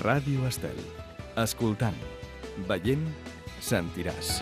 Ràdio Estel. Escoltant, veient, sentiràs.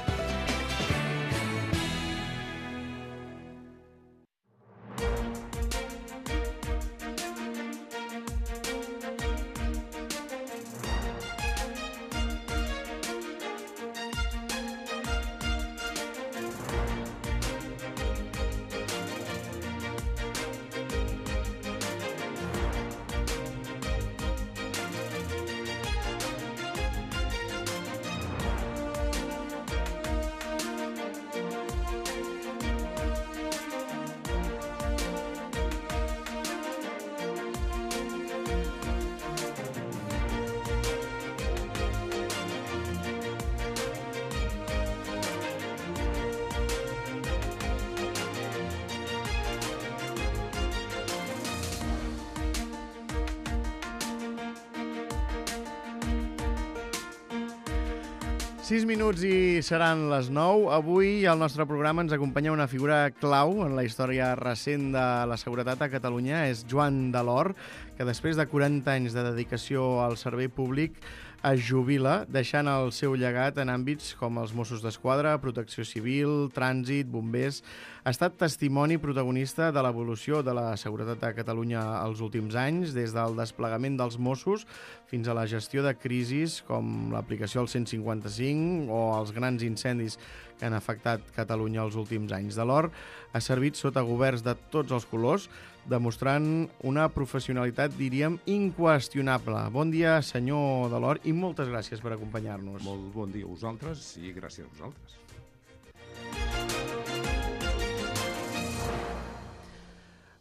Sis minuts i seran les 9. Avui al nostre programa ens acompanya una figura clau en la història recent de la seguretat a Catalunya. És Joan Delort, que després de 40 anys de dedicació al servei públic es jubila, deixant el seu llegat en àmbits com els Mossos d'Esquadra, Protecció Civil, Trànsit, Bombers. Ha estat testimoni protagonista de l'evolució de la seguretat a Catalunya els últims anys, des del desplegament dels Mossos fins a la gestió de crisis com l'aplicació del 155 o els grans incendis que han afectat Catalunya els últims anys. Delort ha servit sota governs de tots els colors, demostrant una professionalitat, diríem, inqüestionable. Bon dia, senyor Delort, i moltes gràcies per acompanyar-nos. Molt bon dia a vosaltres i gràcies a vosaltres.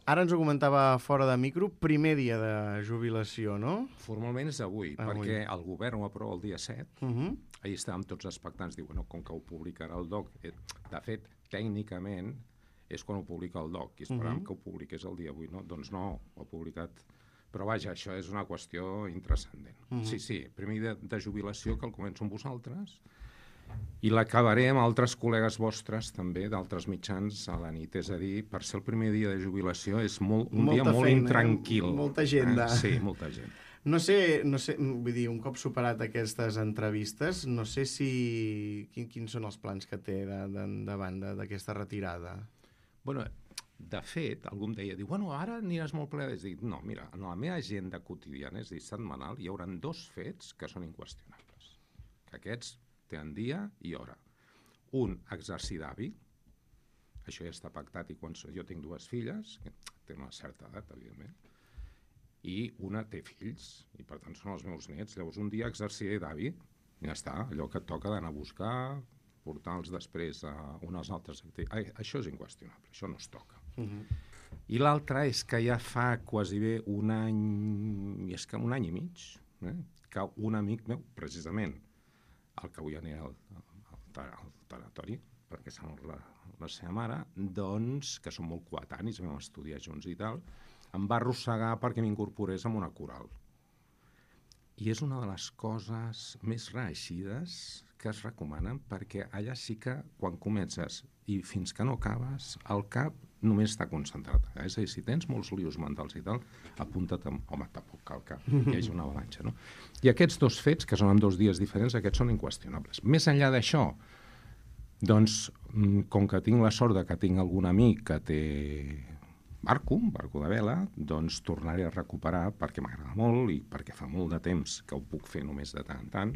Ara ens ho comentava fora de micro, primer dia de jubilació, no? Formalment és avui, perquè el govern ho aprova el dia 7. Ahir estàvem tots expectants, diu, com que ho publicarà el DOC. De fet, tècnicament, és quan ho publica el DOC, i esperàvem que ho publiqués el dia 8, no? Doncs no, ho ha publicat. Però vaja, això és una qüestió intranscendent. Sí, primer dia de jubilació, que el començo amb vosaltres, i l'acabaré amb altres col·legues vostres, també, d'altres mitjans a la nit. És a dir, per ser el primer dia de jubilació és un dia molt intranquil. Molta agenda. Sí, molta gent. No sé, vull dir, un cop superat aquestes entrevistes, no sé quins són els plans que té davant d'aquesta retirada. Bueno, de fet, algú em deia, ara aniràs molt ple. És dir, no, mira, en la meva agenda quotidiana, és a dir, setmanal, hi haurà 2 fets que són inqüestionables. Que aquests tenen dia i hora. Un, exercir d'avi. Això ja està pactat i jo tinc 2 filles, que tenen una certa edat, evidentment, i una té fills, i per tant són els meus nets. Llavors un dia exerciré d'avi, i ja està, allò que et toca d'anar a buscar, portar-los després a unes altres activitats. Això és inqüestionable, això no es toca. I l'altre és que ja fa quasi bé un any i mig, que un amic meu, precisament, el que avui anirà al tanatori, perquè s'ha mort la seva mare, doncs, que són molt coetanis, vam estudiar junts i tal, em va arrossegar perquè m'incorporés en una coral. I és una de les coses més reeixides que es recomanen, perquè allà sí que, quan comences i fins que no acabes, el cap només està concentrat. És a dir, si tens molts lios mentals i tal, apunta't amb... Home, tampoc cal que hi hagi una avalanxa, no? I aquests 2 fets, que són en 2 dies diferents, aquests són inqüestionables. Més enllà d'això, doncs, com que tinc la sort que tinc algun amic que té barco de vela, doncs tornaré a recuperar perquè m'agrada molt i perquè fa molt de temps que ho puc fer només de tant en tant.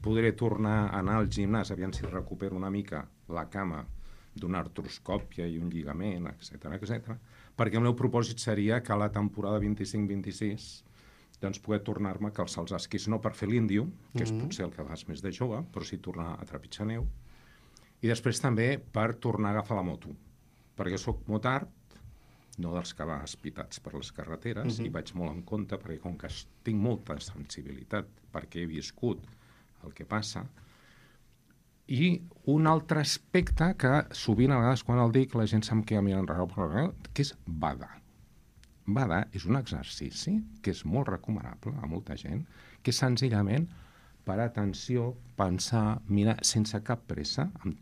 Podré tornar a anar al gimnàs, aviam si recupero una mica la cama d'una artroscòpia i un lligament, etc, perquè el meu propòsit seria que a la temporada 25-26 doncs poder tornar-me a calçar els esquís, no per fer l'índio, que és potser el que fas més de jove, però sí tornar a trepitjar neu, i després també per tornar a agafar la moto, perquè sóc motard, no dels que va espitats per les carreteres, i vaig molt en compte, perquè com que tinc molta sensibilitat, perquè he viscut el que passa. I un altre aspecte que sovint a vegades quan el dic la gent se'm queda mirant enrere, que és badar. Badar és un exercici que és molt recomanable a molta gent, que és senzillament per atenció, pensar, mirar sense cap pressa, amb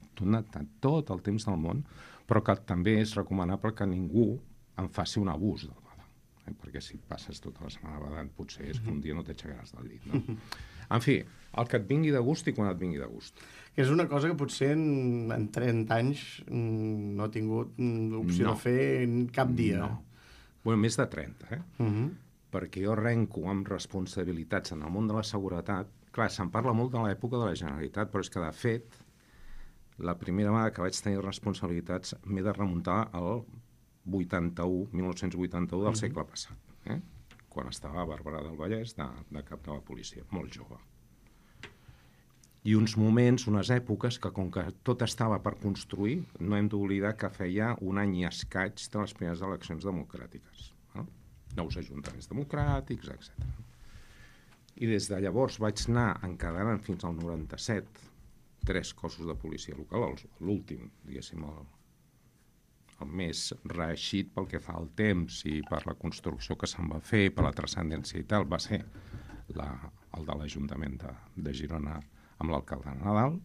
tot el temps del món, però que també és recomanable que ningú en faci un abús del badar. perquè si passes tota la setmana badant potser és que un dia no t'aixecaràs del llit, no? En fi, el que et vingui de gust i quan et vingui de gust. Que és una cosa que potser en 30 anys no he tingut l'opció de fer cap dia. No. Bueno, més de 30, perquè jo arrenco amb responsabilitats en el món de la seguretat. Clar, se'n parla molt de l'època de la Generalitat, però és que, de fet, la primera vegada que vaig tenir responsabilitats m'he de remuntar al 1981 del segle passat, quan estava a Barberà del Vallès de cap de la policia, molt jove. I uns moments, unes èpoques que, com que tot estava per construir, no hem d'oblidar que feia un any i escaig de les primeres eleccions democràtiques. Nous ajuntaments democràtics, etc. I des de llavors vaig anar encadenant fins al 97 3 cossos de policia local, l'últim, diguéssim, el més reeixit pel que fa al temps i per la construcció que se'n va fer, per la transcendència i tal, va ser el de l'Ajuntament de Girona amb l'alcalde Nadal.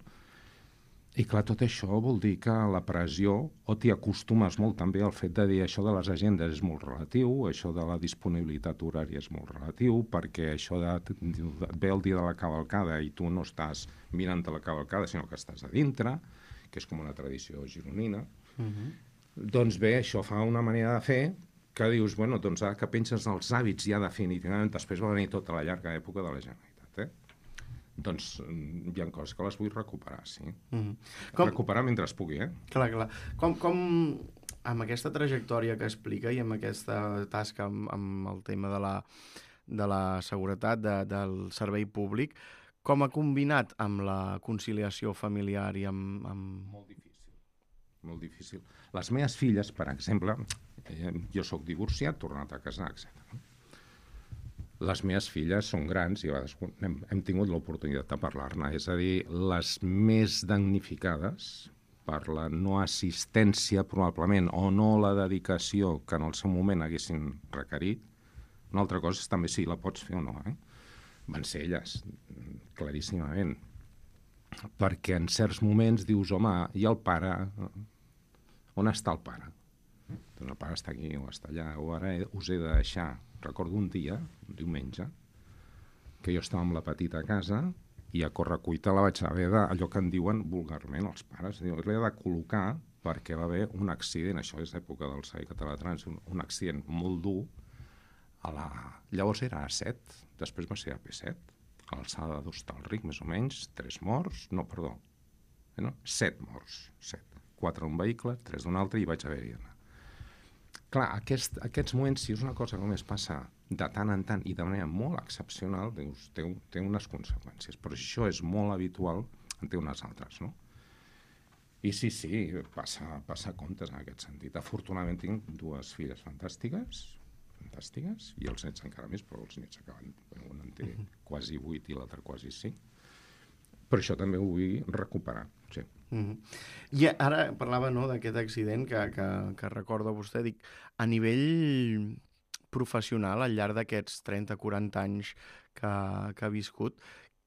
I clar, tot això vol dir que la pressió, o t'hi acostumes molt també al fet de dir això de les agendes és molt relatiu, això de la disponibilitat horària és molt relatiu, perquè això et ve el dia de la cavalcada i tu no estàs mirant la cavalcada, sinó que estàs a dintre, que és com una tradició gironina. Doncs bé, això fa una manera de fer que dius, bueno, doncs ara que penses en els hàbits ja definitivament, després va venir tota la llarga època de la Generalitat, doncs hi ha coses que les vull recuperar, sí. Recuperar mentre es pugui, Clar. Com amb aquesta trajectòria que explica i amb aquesta tasca amb el tema de la seguretat, del servei públic, com ha combinat amb la conciliació familiar i amb... Molt difícil. Les meves filles, per exemple, jo sóc divorciat, tornat a casar, etc. Les meves filles són grans i a vegades hem tingut l'oportunitat de parlar-ne. És a dir, les més damnificades per la no assistència, probablement, o no la dedicació que en el seu moment haguessin requerit. Una altra cosa és també si la pots fer o no, Van ser elles, claríssimament. Perquè en certs moments dius, home, i el pare? On està el pare? Doncs el pare està aquí o està allà, o ara us he de deixar. Recordo un dia, un diumenge, que jo estava amb la petita a casa i a correcuita la vaig haver allò que en diuen vulgarment els pares. L'he de col·locar perquè va haver un accident, això és època del Servei Català de Trànsit, un accident molt dur. Llavors era A7, després va ser AP7, a l'alçada d'Hostalric, més o menys, 7 morts, 7. 4 d'un vehicle, 3 d'un altre, i vaig haver-hi d'anar. Clar, aquests moments, si és una cosa que només passa de tant en tant i de manera molt excepcional, dius, té unes conseqüències. Però si això és molt habitual, en té unes altres, no? I sí, passa comptes en aquest sentit. Afortunadament tinc 2 filles fantàstiques, i els nets encara més, però els nets acaben... Un en té quasi 8 i l'altre quasi 5. Però això també ho vull recuperar, sí. I ara parlava d'aquest accident que recorda vostè, dic, a nivell professional, al llarg d'aquests 30-40 anys que ha viscut,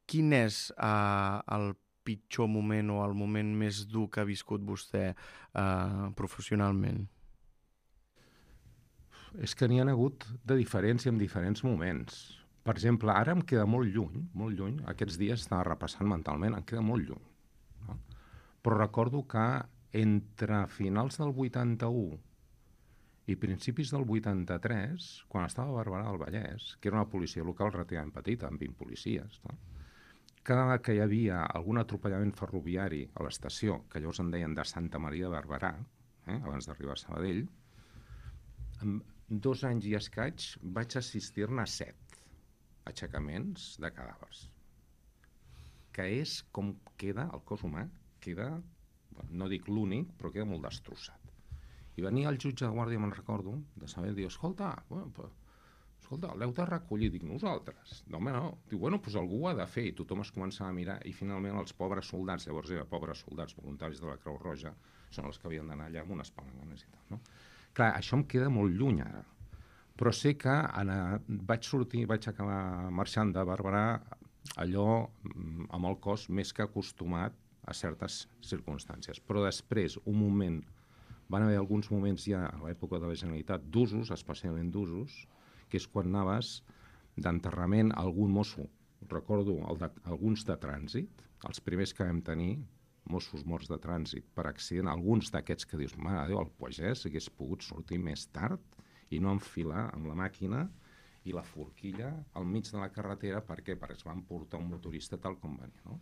quin és el pitjor moment o el moment més dur que ha viscut vostè professionalment? És que n'hi ha hagut de diferents i en diferents moments. Per exemple, ara em queda molt lluny, aquests dies estava repassant mentalment, em queda molt lluny. No? Però recordo que entre finals del 81 i principis del 83, quan estava a Barberà del Vallès, que era una policia local relativament petita, amb 20 policies, no? Cada vegada que hi havia algun atropellament ferroviari a l'estació, que llavors en deien de Santa Maria de Barberà, abans d'arribar a Sabadell, en 2 anys i escaig vaig assistir-ne a 7 aixecaments de cadàvers. Que és com queda el cos humà, no dic l'únic, però queda molt destrossat. I venia el jutge de guàrdia, me'n recordo, de saber, diu, escolta, l'heu de recollir, dic, nosaltres. No, home, no. Diu, doncs algú ho ha de fer, i tothom es començava a mirar, i finalment els pobres soldats, llavors eren pobres soldats voluntaris de la Creu Roja, són els que havien d'anar allà amb unes palanganes i tal, no? Clar, això em queda molt lluny ara, però sé que vaig acabar marxant de Barberà allò amb el cos més que acostumat a certes circumstàncies. Però després, van haver alguns moments ja a l'època de la Generalitat d'usos, especialment d'usos, que és quan anaves d'enterrament a algun mosso. Recordo alguns de trànsit, els primers que vam tenir, Mossos morts de trànsit per accident, alguns d'aquests que dius, mare de Déu, el Pagès hagués pogut sortir més tard i no enfilar amb la màquina i la forquilla al mig de la carretera. Per què? Perquè es van portar un motorista tal com venia, no?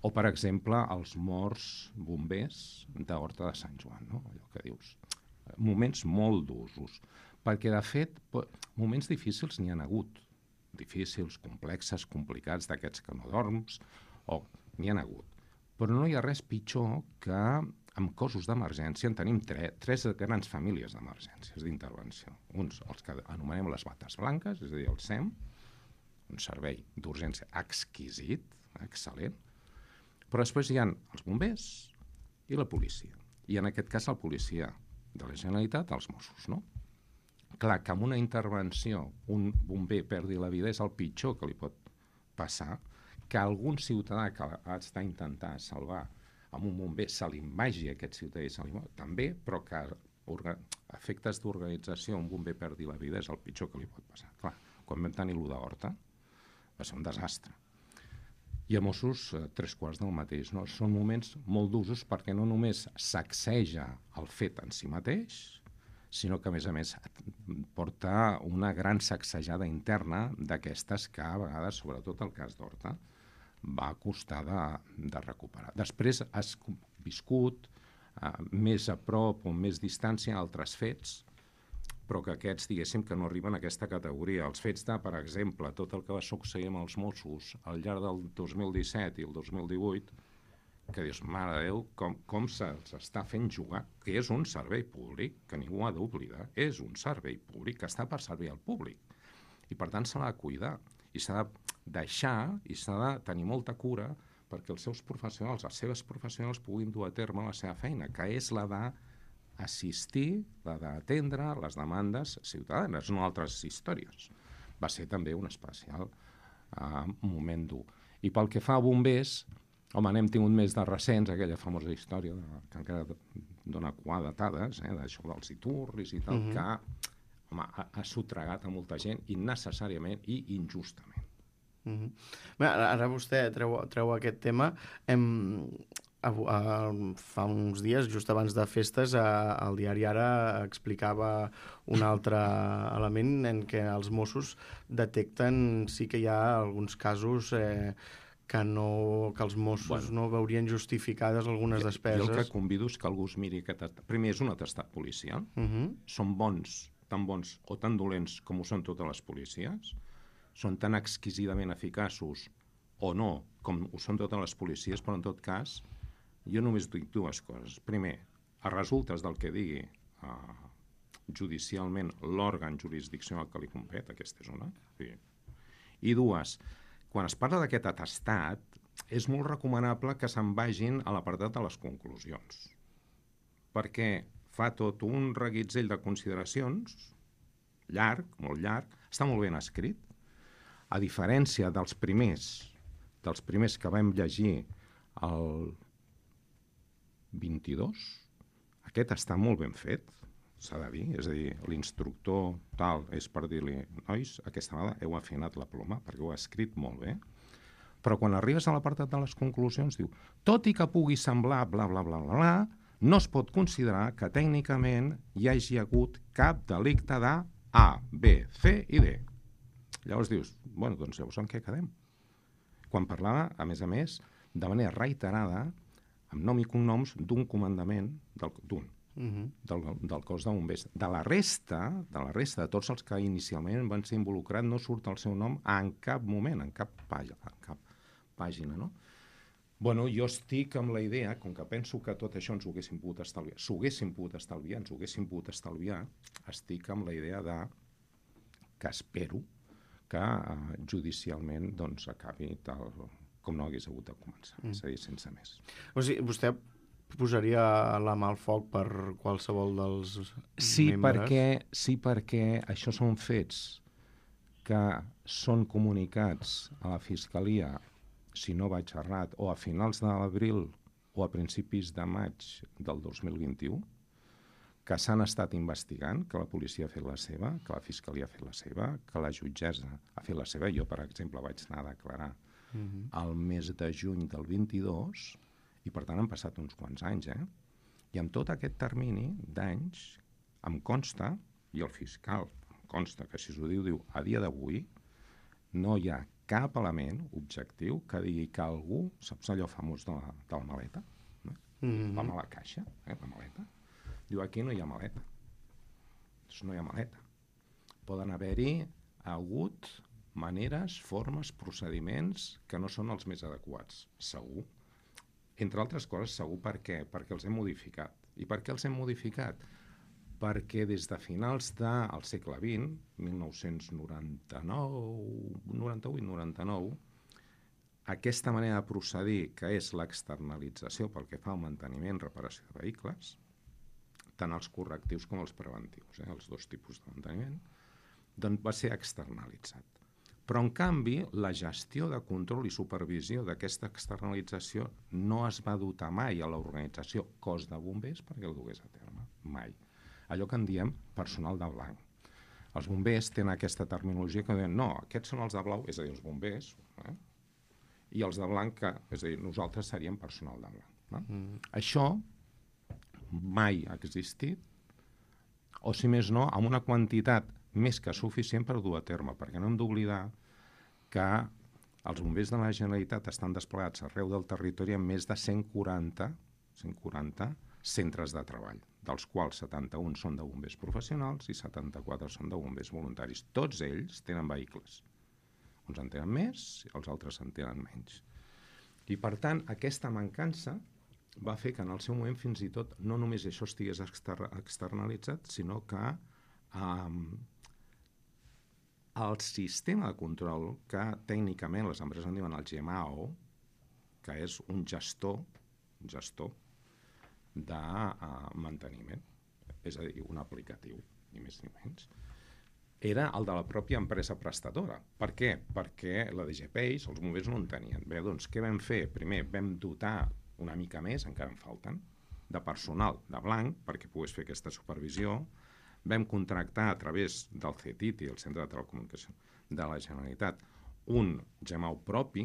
O, per exemple, els morts bombers d'Horta de Sant Joan, no? Allò que dius. Moments molt d'usos. Perquè, de fet, moments difícils n'hi ha hagut. Difícils, complexes, complicats, d'aquests que no dorms, o n'hi ha hagut. Però no hi ha res pitjor que amb cossos d'emergència en tenim tres grans famílies d'emergències d'intervenció. Uns, els que anomenem les bates blanques, és a dir, el SEM, un servei d'urgència exquisit, excel·lent, però després hi ha els bombers i la policia. I en aquest cas la policia de la Generalitat, els Mossos, no? Clar, que amb una intervenció un bomber perdi la vida és el pitjor que li pot passar, que algun ciutadà que està intentant salvar amb un bomber se li vagi aquest ciutadà i se li també, però que efectes d'organització un bomber perdi la vida és el pitjor que li pot passar. Clar, quan vam tenir l'1 d'Horta va ser un desastre. I a Mossos, 3/4 del mateix. No? Són moments molt d'usos perquè no només sacseja el fet en si mateix, sinó que, a més, porta una gran sacsejada interna d'aquestes que, a vegades, sobretot el cas d'Horta, va costar de recuperar. Després has viscut més a prop o més distància altres fets, però que aquests, diguéssim, que no arriben a aquesta categoria. Els fets de, per exemple, tot el que va succeir amb els Mossos al llarg del 2017 i el 2018, que dius, mare de Déu, com se'ls està fent jugar, que és un servei públic, que ningú ha d'oblidar, és un servei públic que està per servir al públic. I, per tant, se l'ha de cuidar, i s'ha de deixar, i s'ha de tenir molta cura perquè els seus professionals, les seves professionals puguin dur a terme la seva feina, que és la d'assistir, la d'atendre les demandes ciutadanes, no altres històries. Va ser també un especial moment dur. I pel que fa a bombers, home, n'hem tingut més de recents, aquella famosa història que encara dona datades, d'això dels iturris i tal, que home, ha sotregat a molta gent innecessàriament i injustament. Ara vostè treu aquest tema. Fa uns dies, just abans de festes, el diari Ara explicava un altre element en què els Mossos detecten sí que hi ha alguns casos que els Mossos no veurien justificades algunes despeses. Jo el que convido és que algú es miri aquest... Primer, és un atestat policial. Són bons, tan bons o tan dolents com ho són totes les policies. Són tan exquisidament eficaços o no com ho són totes les policies, però en tot cas jo només dic dues coses. Primer, a resultes del que digui judicialment l'òrgan jurisdiccional que li compet, aquesta és una. I dues, quan es parla d'aquest atestat, és molt recomanable que se'n vagin a l'apartat de les conclusions, perquè fa tot un reguitzell de consideracions, llarg, molt llarg, està molt ben escrit, a diferència dels primers que vam llegir el 22, aquest està molt ben fet, s'ha de dir, és a dir, l'instructor tal és per dir-li, nois, aquesta vegada heu afinat la ploma, perquè ho ha escrit molt bé, però quan arribes a l'apartat de les conclusions diu, tot i que pugui semblar bla, bla, bla, bla, bla, no es pot considerar que tècnicament hi hagi hagut cap delicte de A, B, C i D. Llavors dius, bueno, doncs llavors en què quedem? Quan parlava, a més, de manera reiterada, amb nom i cognoms, d'un comandament del cos de bombers. De la resta, de tots els que inicialment van ser involucrats, no surt el seu nom en cap moment, en cap pàgina, no? Bueno, jo estic amb la idea, com que penso que tot això ens ho haguéssim pogut estalviar, ens ho haguéssim pogut estalviar, estic amb la idea que espero que judicialment doncs, acabi tal com no hagués hagut de començar, és a dir, sense més. O sigui, vostè posaria la mà al foc per qualsevol dels membres? Sí, perquè això són fets que són comunicats a la Fiscalia, si no vaig errat, o a finals d'abril o a principis de maig del 2021, que s'han estat investigant, que la policia ha fet la seva, que la fiscalia ha fet la seva, que la jutgessa ha fet la seva. Jo, per exemple, vaig anar a declarar al mes de juny del 22 i, per tant, han passat uns quants anys, I amb tot aquest termini d'anys em consta, i el fiscal em consta que si s'ho diu, a dia d'avui no hi ha cap element objectiu que digui que algú, saps allò famós de la maleta? No? Vam a la caixa, la maleta. Diu, aquí no hi ha maleta. Doncs no hi ha maleta. Poden haver-hi hagut maneres, formes, procediments que no són els més adequats, segur. Entre altres coses, segur per què? Perquè els hem modificat. I per què els hem modificat? Perquè des de finals del segle XX, 98 i 99, aquesta manera de procedir, que és l'externalització pel que fa al manteniment i reparació de vehicles, tant els correctius com els preventius, els dos tipus de manteniment, doncs va ser externalitzat. Però, en canvi, la gestió de control i supervisió d'aquesta externalització no es va dotar mai a l'organització cos de bombers perquè el dugués a terme, mai. Allò que en diem personal de blanc. Els bombers tenen aquesta terminologia que diuen, no, aquests són els de blau, és a dir, els bombers, i els de blanc, és a dir, nosaltres seríem personal de blanc. No? Això mai ha existit, o si més no, amb una quantitat més que suficient per dur a terme, perquè no hem d'oblidar que els bombers de la Generalitat estan desplegats arreu del territori amb més de 140 centres de treball, dels quals 71 són de bombers professionals i 74 són de bombers voluntaris. Tots ells tenen vehicles. Uns en tenen més i els altres en tenen menys. I, per tant, aquesta mancança va fer que en el seu moment fins i tot no només això estigués externalitzat, sinó que el sistema de control, que tècnicament les empreses en diuen el GMAO, que és un gestor de manteniment, és a dir, un aplicatiu, ni més ni menys, era el de la pròpia empresa prestadora. Per què? Perquè la DGPeix, els bombers no en tenien. Bé, doncs, què vam fer? Primer, vam dotar una mica més, encara en falten, de personal de blanc perquè pogués fer aquesta supervisió. Vam contractar a través del CETIT i el Centre de Telecomunicació de la Generalitat un GMAO propi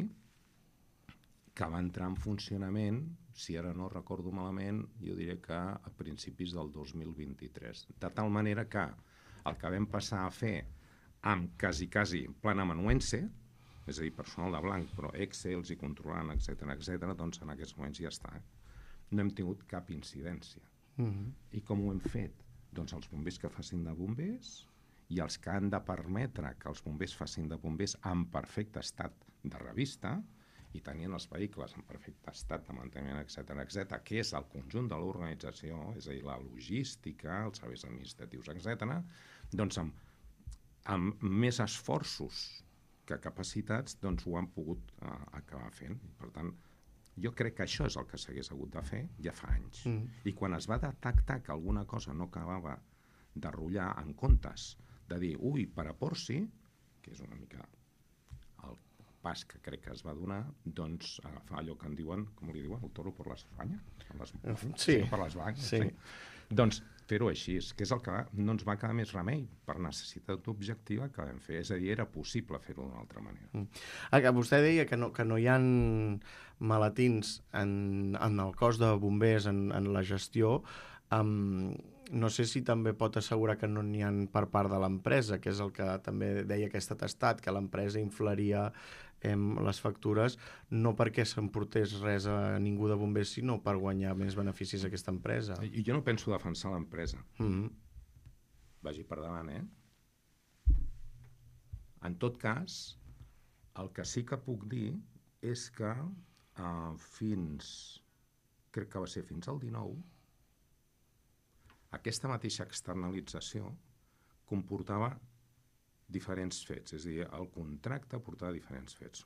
que va entrar en funcionament, si ara no recordo malament, jo diré que a principis del 2023. De tal manera que el que vam passar a fer amb quasi planamanuense, és a dir, personal de blanc, però Excels i controlant, etc., doncs en aquests moments ja està. No hem tingut cap incidència. I com ho hem fet? Doncs els bombers que facin de bombers i els que han de permetre que els bombers facin de bombers en perfecte estat de revista i tenien els vehicles en perfecte estat de manteniment, etc., que és el conjunt de l'organització, és a dir, la logística, els serveis administratius, etc., doncs amb més esforços que capacitats, doncs ho han pogut acabar fent. Per tant, jo crec que això és el que s'hagués hagut de fer ja fa anys. I quan es va detectar que alguna cosa no acabava de rotllar, en comptes de dir, ui, per a Porci, que és una mica el pas que crec que es va donar, doncs agafar allò que en diuen, com li diuen, el toro per l'Espanya? Sí. Per les blanques. Sí. Doncs fer-ho així, que és el que no ens va quedar més remei per necessitat objectiva que vam fer. És a dir, era possible fer-ho d'una altra manera. Vostè deia que no hi ha maletins en el cos de bombers, en la gestió. No sé si també pot assegurar que no n'hi ha per part de l'empresa, que és el que també deia aquest atestat, que l'empresa inflaria les factures, no perquè s'emportés res a ningú de bombers, sinó per guanyar més beneficis a aquesta empresa. I jo no penso defensar l'empresa. Vagi per davant, En tot cas, el que sí que puc dir és que crec que va ser fins al 19, aquesta mateixa externalització comportava diferents fets, és a dir, el contracte portava diferents fets.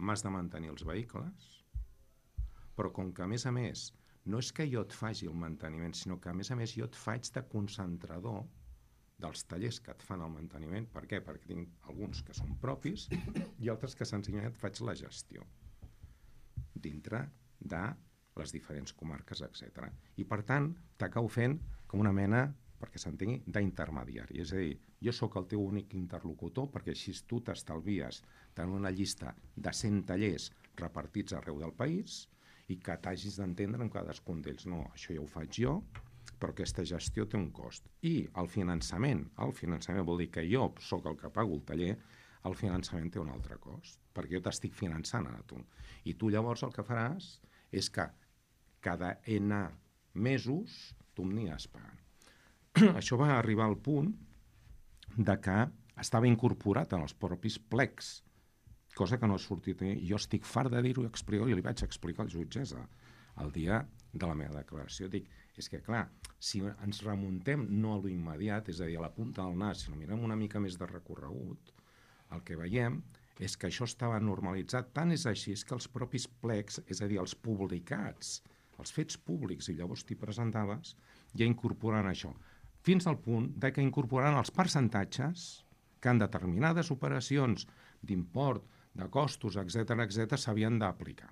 M'has de mantenir els vehicles, però com que, a més, no és que jo et faci el manteniment, sinó que, a més, jo et faig de concentrador dels tallers que et fan el manteniment. Per què? Perquè tinc alguns que són propis i altres que senzillament et faig la gestió dintre de les diferents comarques, etc. I, per tant, t'acabo fent com una mena, perquè s'entengui, d'intermediari. És a dir, jo sóc el teu únic interlocutor perquè així tu t'estalvies tenir una llista de 100 tallers repartits arreu del país i que t'hagis d'entendre amb cadascun d'ells. No, això ja ho faig jo, però aquesta gestió té un cost. I el finançament vol dir que jo sóc el que pago el taller, el finançament té un altre cost, perquè jo t'estic finançant a tu. I tu llavors el que faràs és que cada N mesos tu m'anies pagant. Això va arribar al punt de que estava incorporat en els propis plecs, cosa que no ha sortit. Jo estic fart de dir-ho i li vaig explicar al jutgessa el dia de la meva declaració. Dic, és que clar, si ens remuntem no a l'immediat, és a dir, a la punta del nas, si no mirem una mica més de recorregut, el que veiem és que això estava normalitzat. Tant és així que els propis plecs, és a dir, els publicats, els fets públics, i llavors t'hi presentaves, ja incorporen això. Fins al punt de que incorporaran els percentatges que en determinades operacions d'import, de costos, etc s'havien d'aplicar.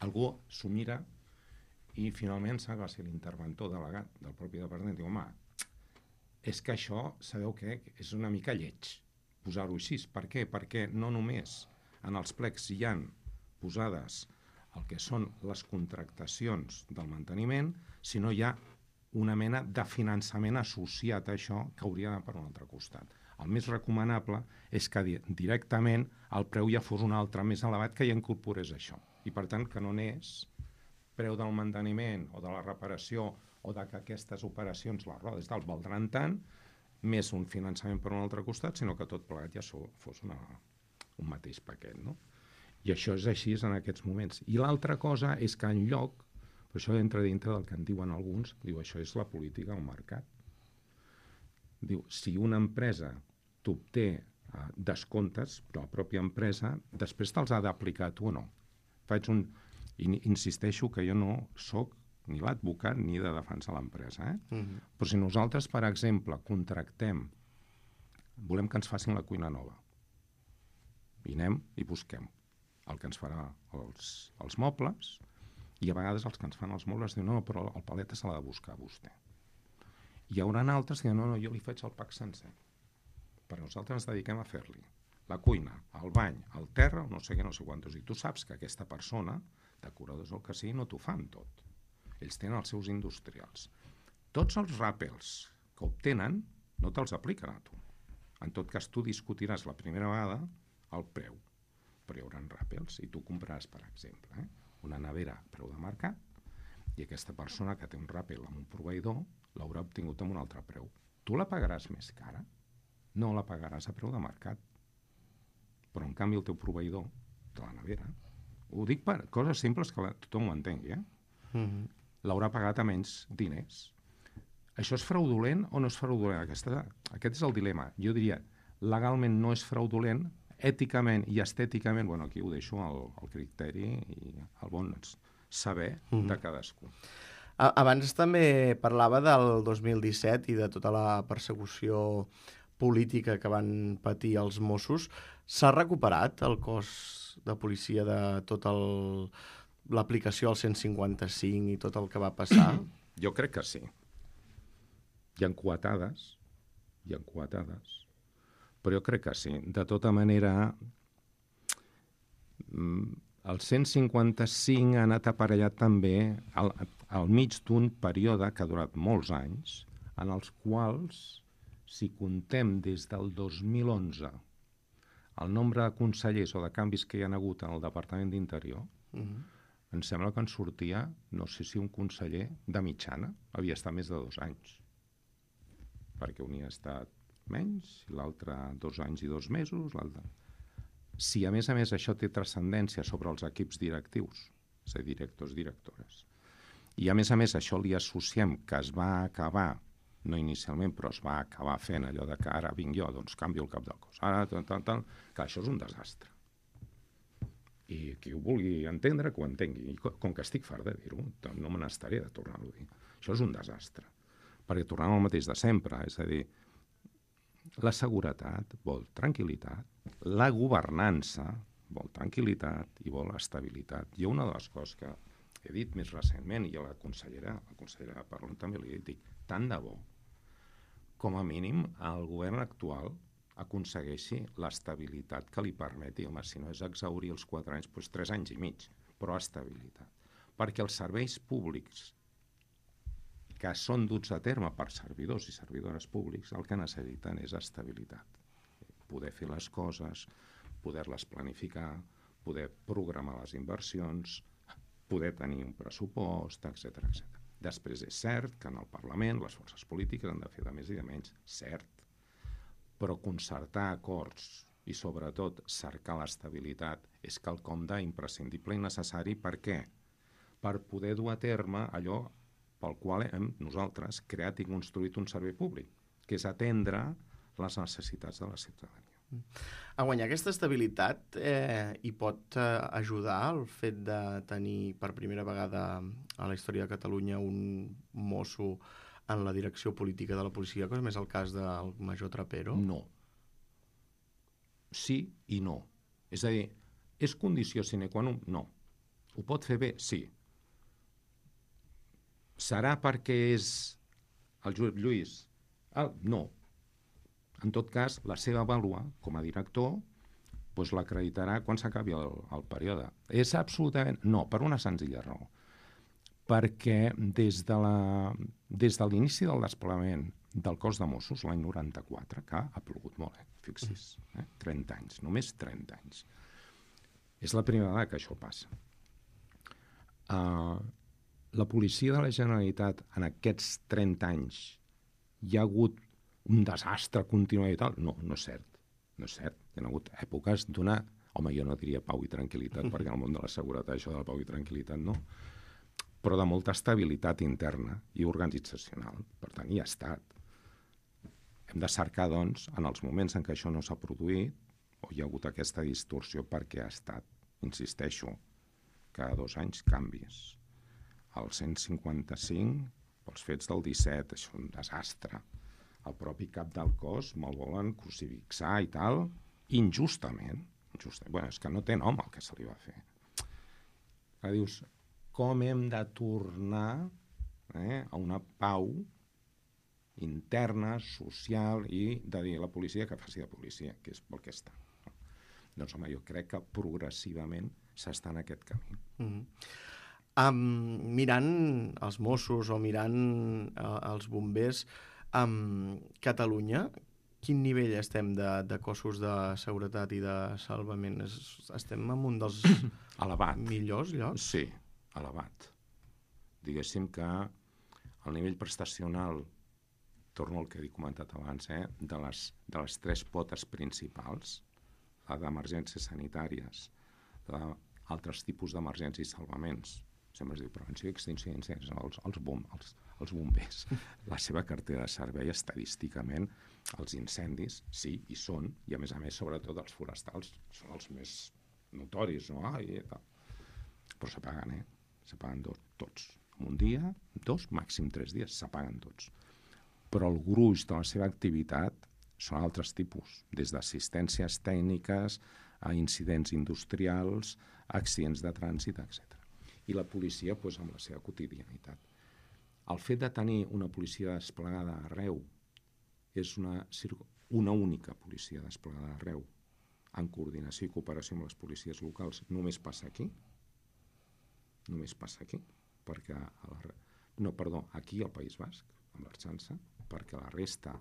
Algú s'ho mira i finalment va ser l'interventor delegat del propi departament. Diu, home, és que això, sabeu què? És una mica lleig posar-ho així. Per què? Perquè no només en els plecs hi han posades el que són les contractacions del manteniment, sinó hi ha una mena de finançament associat a això que hauria d'anar per un altre costat. El més recomanable és que directament el preu ja fos un altre més elevat que ja incorporés això. I per tant que no anés preu del manteniment o de la reparació o de que aquestes operacions, les rodes tal, valdran tant, més un finançament per un altre costat, sinó que tot plegat ja fos un mateix paquet, no? I això és així en aquests moments. I l'altra cosa és que en lloc, però això entra dintre del que en diuen alguns, diu, això és la política del mercat. Diu, si una empresa t'obté descomptes, la pròpia empresa, després te'ls ha d'aplicar tu o no. Insisteixo que jo no sóc ni l'advocat ni de defensar l'empresa. Però si nosaltres, per exemple, contractem, volem que ens facin la cuina nova, i anem i busquem el que ens farà els mobles, i a vegades els que ens fan els mobles diuen, no, però el paleta se l'ha de buscar a vostè. Hi haurà altres que diuen, no, jo li faig el pack sencer, però nosaltres ens dediquem a fer-li la cuina, el bany, el terra, no sé què, no sé quantos. I tu saps que aquesta persona, decoradors o el que sigui, no t'ho fan tot. Ells tenen els seus industrials. Tots els ràpels que obtenen no te'ls apliquen a tu. En tot cas, tu discutiràs la primera vegada el preu, però hi haurà ràpels i tu compraràs, per exemple, una nevera a preu de mercat i aquesta persona que té un ràpel amb un proveïdor l'haurà obtingut amb un altre preu. Tu la pagaràs més cara? No la pagaràs a preu de mercat. Però, en canvi, el teu proveïdor de la nevera, ho dic per coses simples que tothom ho entengui, l'haurà pagat a menys diners. Això és fraudulent o no és fraudulent? Aquest és el dilema. Jo diria, legalment no és fraudulent, èticament i estèticament, bueno, aquí ho deixo al criteri i al bon saber de cadascú. Abans també parlava del 2017 i de tota la persecució política que van patir els Mossos. S'ha recuperat el cos de policia de tota l'aplicació al 155 i tot el que va passar? Jo crec que sí. Hi ha coetades, però jo crec que sí. De tota manera, el 155 ha anat aparellat també al mig d'un període que ha durat molts anys, en els quals, si contem des del 2011 el nombre de consellers o de canvis que hi ha hagut en el Departament d'Interior, em sembla que en sortia, no sé si un conseller de mitjana havia estat més de 2 anys, perquè un hi ha estat menys i l'altre 2 anys i 2 mesos. Si a més això té transcendència sobre els equips directius, és a dir, directors, directores, i a més això li associem que es va acabar, no inicialment, però es va acabar fent allò de que ara vinc jo, doncs canvio el cap del cos, ara que això és un desastre. I qui ho vulgui entendre, que ho entengui. I com que estic fart de dir-ho, no me n'estaré de tornar-ho a dir. Això és un desastre, perquè tornem al mateix de sempre, és a dir, la seguretat vol tranquil·litat, la governança vol tranquil·litat i vol estabilitat. I una de les coses que he dit més recentment, i a la consellera Parlon també li dic, tant de bo, com a mínim el govern actual aconsegueixi l'estabilitat que li permeti, home, si no és exhaurir els 4 anys, doncs 3 anys i mig, però estabilitat. Perquè els serveis públics que són duts a terme per servidors i servidores públics, el que necessiten és estabilitat. Poder fer les coses, poder-les planificar, poder programar les inversions, poder tenir un pressupost, etc. Després és cert que en el Parlament les forces polítiques han de fer de més i de menys, cert, però concertar acords i sobretot cercar l'estabilitat és quelcom d'imprescindible i necessari. Per què? Per poder dur a terme allò pel qual hem nosaltres creat i construït un servei públic, que és atendre les necessitats de la ciutadania. A guanyar aquesta estabilitat hi pot ajudar el fet de tenir per primera vegada a la història de Catalunya un mosso en la direcció política de la policia, com és el cas del major Trapero? No. Sí i no. És a dir, és condició sine qua non? No. Ho pot fer bé? Sí. Serà perquè és el Josep Lluís? No. En tot cas, la seva vàlua com a director doncs l'acreditarà quan s'acabi el període. És absolutament... No, per una senzilla raó. Perquè des de l'inici del desplegament del cos de Mossos, l'any 94, que ha plogut molt, fixi's, 30 anys, només 30 anys. És la primera vegada que això passa. La policia de la Generalitat en aquests 30 anys hi ha hagut un desastre continuat i tal? No, no és cert. No és cert. Hi ha hagut èpoques d'una... Home, jo no diria pau i tranquil·litat, perquè en el món de la seguretat això de la pau i tranquil·litat no, però de molta estabilitat interna i organitzacional. Per tant, hi ha estat. Hem de cercar, doncs, en els moments en què això no s'ha produït, o hi ha hagut aquesta distorsió perquè ha estat, insisteixo, cada 2 anys canvis. El 155, els fets del 17, això és un desastre. El propi cap del cos me'l volen crucifixar i tal, injustament. Bueno, és que no té nom el que se li va fer. Que dius, com hem de tornar a una pau interna, social, i de dir a la policia que faci de policia, que és pel que està. Doncs, home, jo crec que progressivament s'està en aquest camí. Mirant els Mossos o mirant els bombers, Catalunya, quin nivell estem de cossos de seguretat i de salvament? Estem en un dels elevat. Millors llocs? Sí, elevat. Diguéssim que el nivell prestacional, torno al que he comentat abans, de les 3 potes principals, la d'emergències sanitàries, d'altres tipus d'emergències i salvaments, sempre es diu prevenció i extinció d'incendis, els bombers. La seva cartera de servei, estadísticament, els incendis, sí, hi són, i a més, sobretot els forestals, són els més notoris, no? Però s'apaguen, s'apaguen tots. En un dia, 2, màxim 3 dies, s'apaguen tots. Però el gruix de la seva activitat són altres tipus, des d'assistències tècniques a incidents industrials, accidents de trànsit, etc. I la policia, amb la seva quotidianitat. El fet de tenir una policia desplegada arreu és una única policia desplegada arreu, en coordinació i cooperació amb les policies locals, només passa aquí. Només passa aquí. Perquè aquí al País Basc, amb l'Arxança, perquè la resta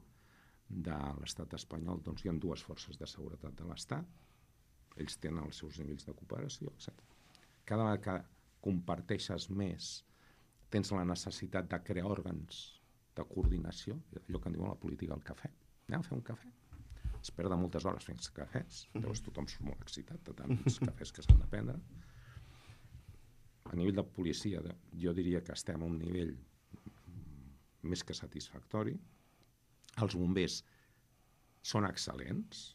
de l'estat espanyol hi ha 2 forces de seguretat de l'estat, ells tenen els seus nivells de cooperació, etc. Cada vegada que comparteixes més, tens la necessitat de crear òrgans de coordinació, allò que en diuen la política del cafè. Anem a fer un cafè. Es perden moltes hores fent cafès, llavors tothom surt molt excitat de tants cafès que s'han de prendre. A nivell de policia, jo diria que estem a un nivell més que satisfactori. Els bombers són excel·lents,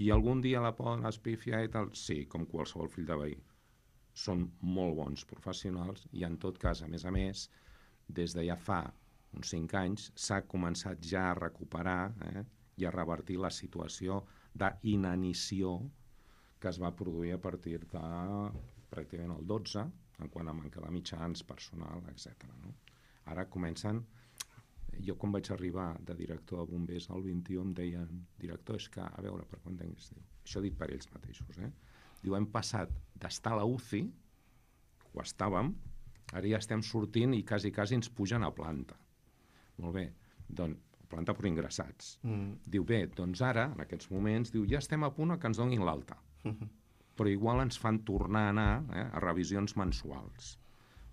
i algun dia la poden espifiar i tal, sí, com qualsevol fill de veí. Són molt bons professionals i, en tot cas, a més, des de ja fa uns 5 anys, s'ha començat ja a recuperar i a revertir la situació d'inanició que es va produir a partir de pràcticament el 12, en quant a manca de mitjans, personal, etc. No? Ara comencen... Jo, quan vaig arribar de director de bombers al 21, em deien, director, és que, a veure, per quan tinguis, això dit per ells mateixos, diu, hem passat d'estar a la UCI, ho estàvem, ara ja estem sortint i quasi ens pugen a planta. Molt bé, doncs, planta per ingressats. Diu, bé, doncs ara, en aquests moments, diu, ja estem a punt que ens donin l'alta. Però igual ens fan tornar a anar a revisions mensuals.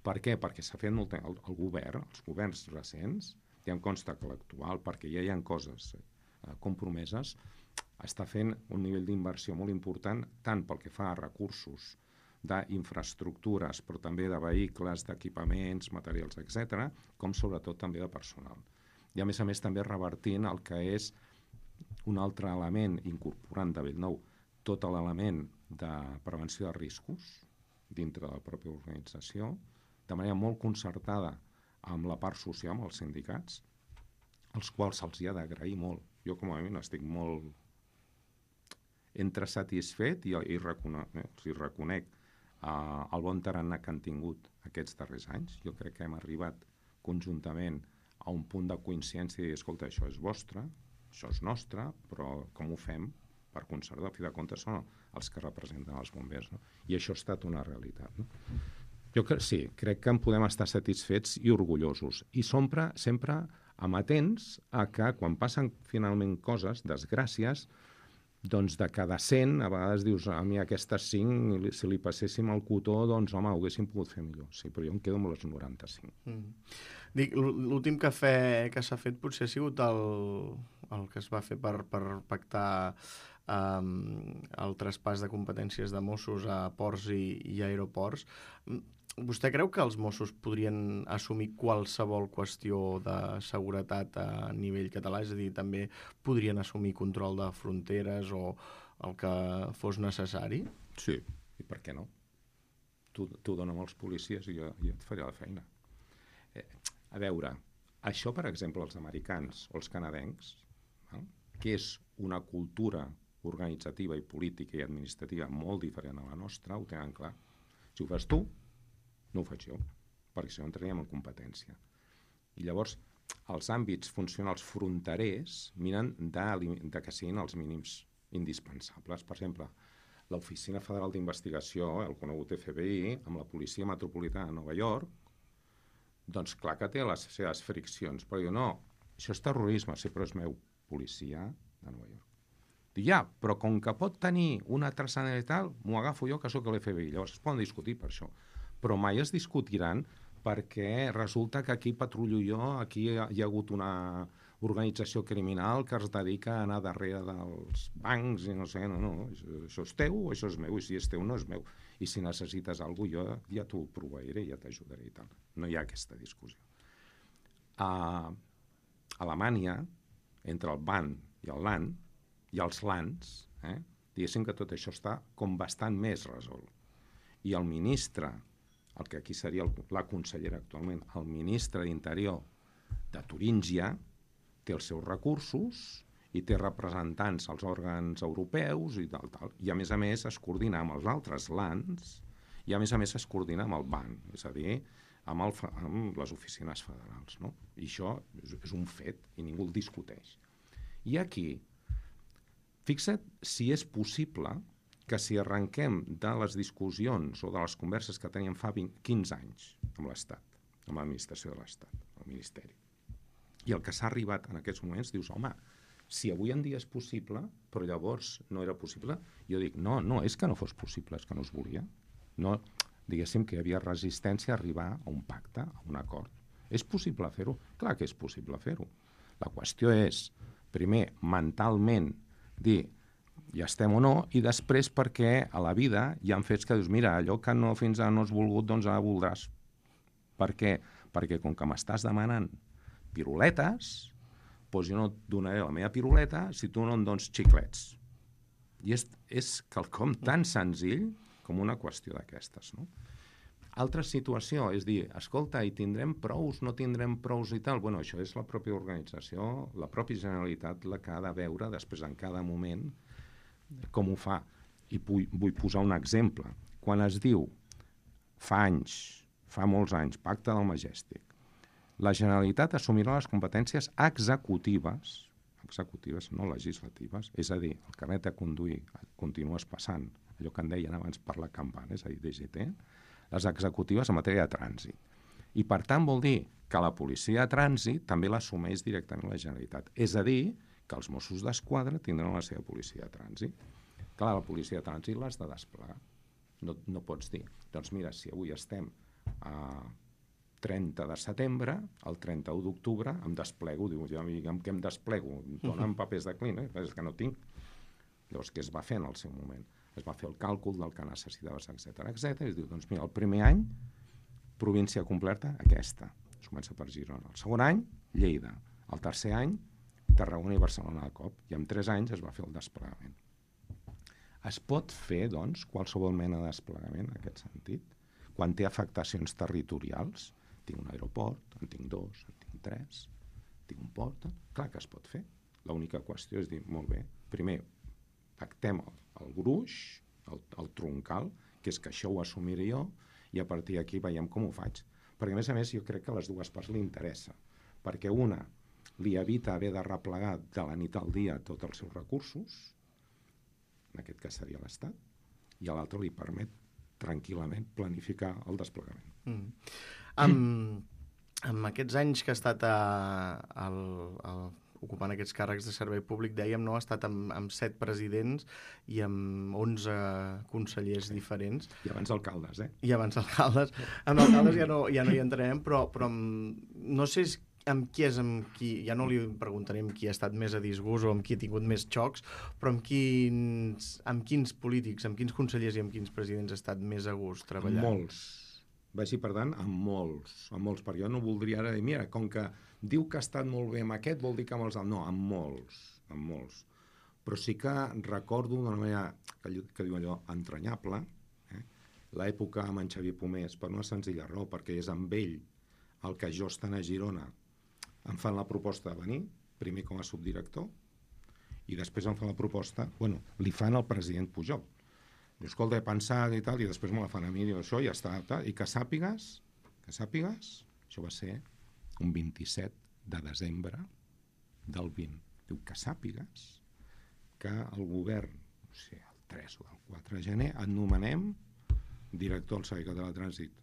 Per què? Perquè s'ha fet molt el govern, els governs recents, ja em consta que l'actual, perquè ja hi ha coses compromeses, està fent un nivell d'inversió molt important, tant pel que fa a recursos d'infraestructures, però també de vehicles, d'equipaments, materials, etc., com sobretot també de personal. I a més també revertint el que és un altre element, incorporant de Bellnou tot l'element de prevenció de riscos dintre de la pròpia organització, de manera molt concertada amb la part social, amb els sindicats, els quals se'ls hi ha d'agrair molt. Jo, com a mínim, estic molt entre satisfet i els reconec el bon tarannà que han tingut aquests darrers anys. Jo crec que hem arribat conjuntament a un punt de coincidència i dir, escolta, això és vostre, això és nostre, però com ho fem? Per conservar, a fi de comptes, són els que representen els bombers. No? I això ha estat una realitat. No? Jo sí, crec que en podem estar satisfets i orgullosos. I sempre amatents a que quan passen finalment coses, desgràcies, doncs de cada 100, a vegades dius, a mi aquestes 5, si li passéssim el cotó, doncs home, ho haguéssim pogut fer millor. Sí, però jo em quedo amb les 95. Dic, l'últim cafè que s'ha fet potser ha sigut el que es va fer per pactar el traspàs de competències de Mossos a ports i aeroports. Vostè creu que els Mossos podrien assumir qualsevol qüestió de seguretat a nivell català? És a dir, també podrien assumir control de fronteres o el que fos necessari? Sí, i per què no? Tu dona'm als policies i jo et faré la feina. A veure, això, per exemple, els americans o els canadencs, que és una cultura organitzativa i política i administrativa molt diferent a la nostra, ho tenen clar. Si ho fas tu, no ho faig jo, perquè si no entraríem en competència. I llavors, els àmbits funcionals fronterers miren de que siguin els mínims indispensables. Per exemple, l'Oficina Federal d'Investigació, el conegut FBI, amb la Policia Metropolitana de Nova York, doncs clar que té les seves friccions, però jo no, això és terrorisme, sí, però és meu policia de Nova York. Dic, ja, però com que pot tenir una transcendentalitat, m'ho agafo jo, que sóc l'FBI. Llavors es poden discutir per això. Però mai es discutiran perquè resulta que aquí patrullo jo, aquí hi ha hagut una organització criminal que es dedica a anar darrere dels bancs i no sé, no, això és teu o això és meu, i si és teu no és meu. I si necessites alguna cosa, jo ja t'ho proveiré, ja t'ajudaré i tal. No hi ha aquesta discussió. A Alemanya, entre el BAN i el LAN, i els LANs, diguéssim que tot això està com bastant més resolt. I el ministre, el que aquí seria la consellera actualment, el ministre d'Interior de Turíngia, té els seus recursos i té representants als òrgans europeus i tal. I a més es coordina amb els altres LANs i a més es coordina amb el BAN, és a dir, amb les oficines federals. No? I això és un fet i ningú el discuteix. I aquí, fixa't si és possible que si arrenquem de les discussions o de les converses que teníem fa 15 anys amb l'Estat, amb l'administració de l'Estat, el Ministeri, i el que s'ha arribat en aquests moments, dius, home, si avui en dia és possible, però llavors no era possible, jo dic, no, és que no fos possible, és que no es volia. No, diguéssim que hi havia resistència a arribar a un pacte, a un acord. És possible fer-ho? Clar que és possible fer-ho. La qüestió és, primer, mentalment, dir ja estem o no, i després perquè a la vida hi ha fets que dius, mira, allò que no fins ara no has volgut, doncs ara voldràs. Per què? Perquè com que m'estàs demanant piruletes, doncs jo no et donaré la meva piruleta si tu no em dones xiclets. I és quelcom tan senzill com una qüestió d'aquestes, no? Altra situació és dir, escolta, i tindrem prous, no tindrem prous i tal? Bueno, això és la pròpia organització, la pròpia Generalitat la que ha de veure després en cada moment com ho fa. I vull posar un exemple. Quan es diu fa molts anys, Pacte del Majestic, la Generalitat assumirà les competències executives, no legislatives, és a dir, el carnet de conduir continues passant, allò que en deien abans per la campana, és a dir, DGT, les executives en matèria de trànsit. I per tant vol dir que la policia de trànsit també l'assumeix directament la Generalitat. És a dir, que els Mossos d'Esquadra tindran la seva policia de trànsit. Clar, la policia de trànsit l'has de desplegar. No pots dir, doncs mira, si avui estem a 30 de setembre, el 31 d'octubre em desplego, diu, ja amb què em desplego? Dóna'm papers de client, és que no tinc. Llavors, què es va fer en el seu moment? Es va fer el càlcul del que necessitaves, etc. I es diu, doncs mira, el primer any, província completa, aquesta. Es comença per Girona. El segon any, Lleida. El tercer any, Tarragona i Barcelona de cop. I en 3 anys es va fer el desplegament. Es pot fer, doncs, qualsevol mena de desplegament en aquest sentit? Quan té afectacions territorials, tinc un aeroport, en tinc 2, en tinc 3, tinc un port, clar que es pot fer. L'única qüestió és dir, molt bé, primer pactem el gruix, el troncal, que és que això ho assumiré jo, i a partir d'aquí veiem com ho faig. Perquè, a més, jo crec que a les dues parts li interessa, perquè una li evita haver de replegar de la nit al dia tots els seus recursos, en aquest cas seria l'Estat, i a l'altre li permet tranquil·lament planificar el desplegament. Amb aquests anys que ha estat ocupant aquests càrrecs de servei públic, dèiem, no? Ha estat amb 7 presidents i amb 11 consellers diferents. I abans alcaldes, I abans alcaldes. Amb alcaldes ja no hi entrarem, però no sé amb qui, ja no li preguntarem qui ha estat més a disgust o amb qui ha tingut més xocs, però amb quins polítics, amb quins consellers i amb quins presidents ha estat més a gust treballar? Molts. Vagi, per tant, amb molts, perquè jo no voldria ara dir, mira, com que diu que ha estat molt bé amb aquest, vol dir que amb els... No, amb molts. Però sí que recordo d'una manera que diu allò entranyable, l'època amb en Xavier Pomés, per una senzilla raó, perquè és amb ell el que jo estant a Girona em fan la proposta de venir, primer com a subdirector, i després em fan la proposta, li fan al president Pujol. Diu, escolta, he pensat i tal, i després me la fan a mi, diu, això ja està, tal, i que sàpigues, això va ser un 27 de desembre del 20. Diu, que sàpigues que el govern, no sé, el 3 o el 4 de gener, et nomenem director del Servei Català de Trànsit.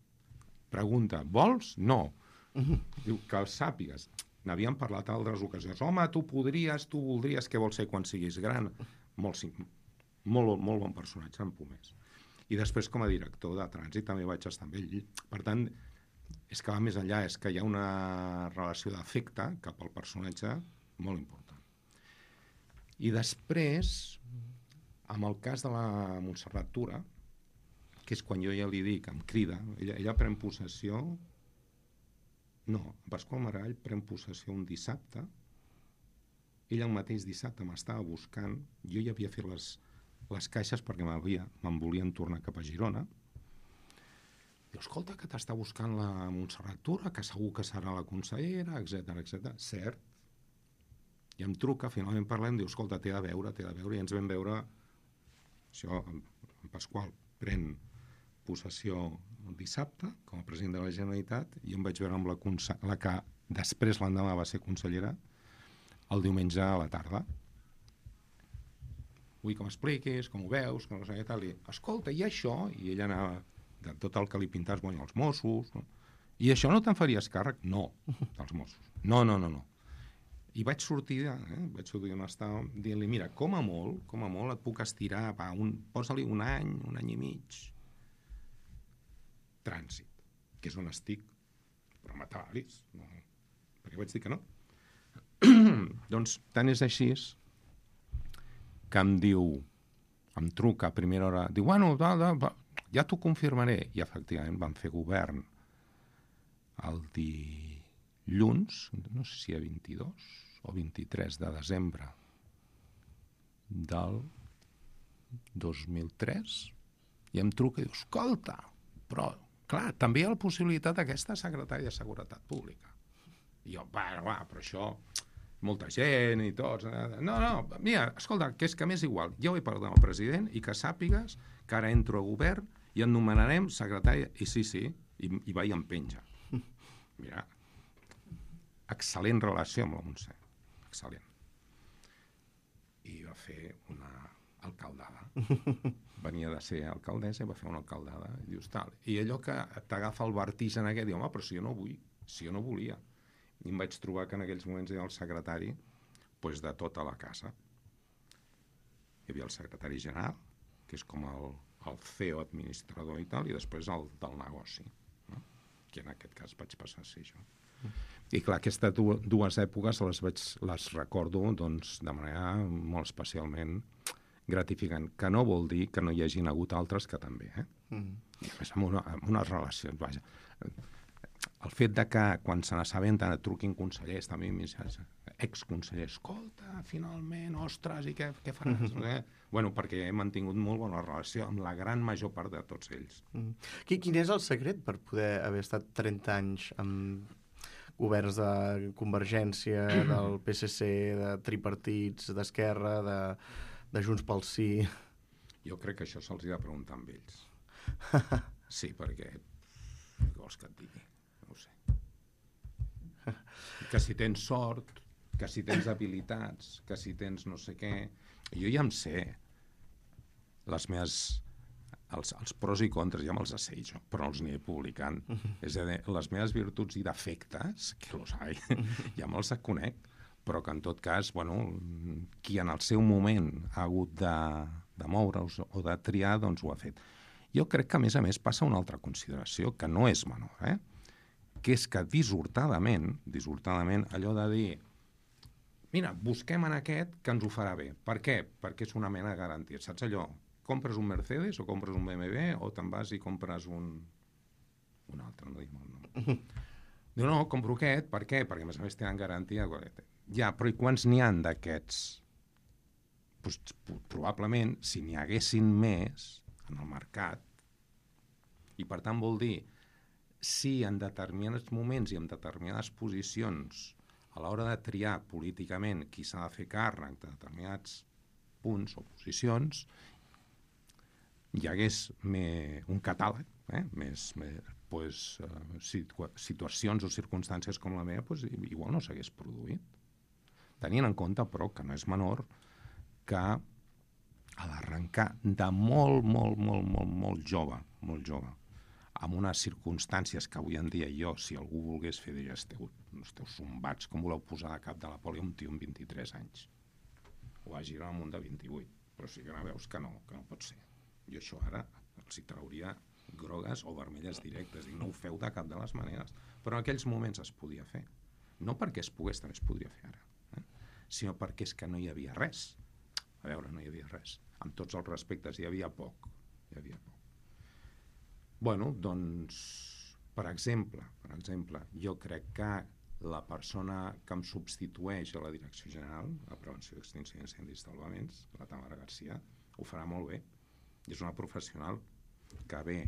Pregunta, vols? No. Diu, que el sàpigues. N'havíem parlat a altres ocasions. Home, tu voldries, què vols ser quan siguis gran? Molt bon personatge, en Pomés. I després, com a director de trànsit, també vaig estar amb ell. Per tant, és que va més enllà, és que hi ha una relació d'afecte cap al personatge molt important. I després, amb el cas de la Montserrat Tura, que és quan jo ja li dic, em crida, ella pren possessió... No, Pasqual Maragall pren possessió un dissabte, ell el mateix dissabte m'estava buscant, jo ja havia fet les caixes perquè me'n volien tornar cap a Girona. Diu, escolta, que t'està buscant la Montserrat Tura, que segur que serà la consellera, etc. Cert. I em truca, finalment parlem, diu, escolta, t'he de veure, i ens vam veure, això, en Pasqual pren possessió el dissabte, com a president de la Generalitat, i em vaig veure amb la que després l'endemà va ser consellera, el diumenge a la tarda. Vull que m'expliquis, com ho veus, que no sé què tal, i escolta, i això? I ella anava de tot el que li pintaves, els Mossos, no? I això no te'n faries càrrec? No, dels Mossos. No. I vaig sortir on estava, dient-li, mira, com a molt et puc estirar, posa-li un any i mig, trànsit, que és on estic, però matalis, no, perquè vaig dir que no. Doncs tant és així que em truca a primera hora, diu, ja t'ho confirmaré, i efectivament vam fer govern el dilluns, no sé si a 22 o 23 de desembre del 2003, i em truca i diu, escolta, però clar, també hi ha la possibilitat d'aquesta secretària de Seguretat Pública. I jo, però això, molta gent i tots... No, mira, escolta, que és que m'és igual. Jo he parlat amb el president i que sàpigues que ara entro a govern i en nomenarem secretari, i sí, i va i em penja. Mira, excel·lent relació amb la Montse, excel·lent. I va fer una alcaldada. Venia de ser alcaldessa i va fer una alcaldada, i dius tal. I allò que t'agafa el vertigen aquest, diu, home, però si jo no vull, si jo no volia. I em vaig trobar que en aquells moments era el secretari pues, de tota la casa. Hi havia el secretari general, que és com el CEO administrador i tal, i després el del negoci, no? Que en aquest cas vaig passar a ser jo. I clar, aquestes dues èpoques les recordo doncs, de manera molt especialment gratificant, que no vol dir que no hi hagin hagut altres que també, I a més amb unes relacions, vaja. El fet de que quan se n'assabenten et truquin consellers, també exconsellers, escolta, finalment, ostres, i què faràs? Bueno, perquè he mantingut molt bona relació amb la gran major part de tots ells. Quin és el secret per poder haver estat 30 anys amb governs de Convergència, del PSC, de tripartits, d'Esquerra, de Junts pel Sí? Jo crec que això se'ls ha de preguntar amb ells. Sí, perquè què vols que et digui? No ho sé. Que si tens sort, que si tens habilitats, que si tens no sé què... Jo ja em sé els pros i contres, ja me'ls sé jo, però no els aniré publicant. És a dir, les meves virtuts i defectes, que los hay, ja me'ls conec, però que en tot cas, bueno, qui en el seu moment ha hagut de moure's o de triar, doncs ho ha fet. Jo crec que, a més, passa una altra consideració, que no és menor, que és que dissortadament, allò de dir mira, busquem en aquest que ens ho farà bé. Per què? Perquè és una mena de garantia. Saps allò? Compres un Mercedes o compres un BMW o te'n vas i compres un altre, no diguem el nom. Diu, no, compro aquest. Per què? Perquè, a més, tenen garantia. Ja, però i quants n'hi han d'aquests? Pues, probablement, si n'hi haguessin més en el mercat, i per tant vol dir si en determinats moments i en determinades posicions a l'hora de triar políticament qui s'ha de fer càrrec de determinats punts o posicions, hi hagués un catàleg, situacions o circumstàncies com la meva, igual no s'hagués produït. Tenint en compte, però, que no és menor que a l'arrencar de molt jove, amb unes circumstàncies que avui en dia jo, si algú volgués fer, diria, esteu zombats, com voleu posar a cap de la poli un tio amb 23 anys? Ho va girar al munt de 28, però sí que no veus que no pot ser. Jo això ara els hi trauria grogues o vermelles directes, i no ho feu de cap de les maneres. Però en aquells moments es podia fer. No perquè es pogués, també es podria fer ara, sinó perquè és que no hi havia res. A veure, no hi havia res. Amb tots els respectes, hi havia poc. Bueno, doncs, per exemple, jo crec que la persona que em substitueix a la Direcció General de Prevenció d'Extinció d'Incendis i Salvaments, la Tamara Garcia, ho farà molt bé. És una professional que ve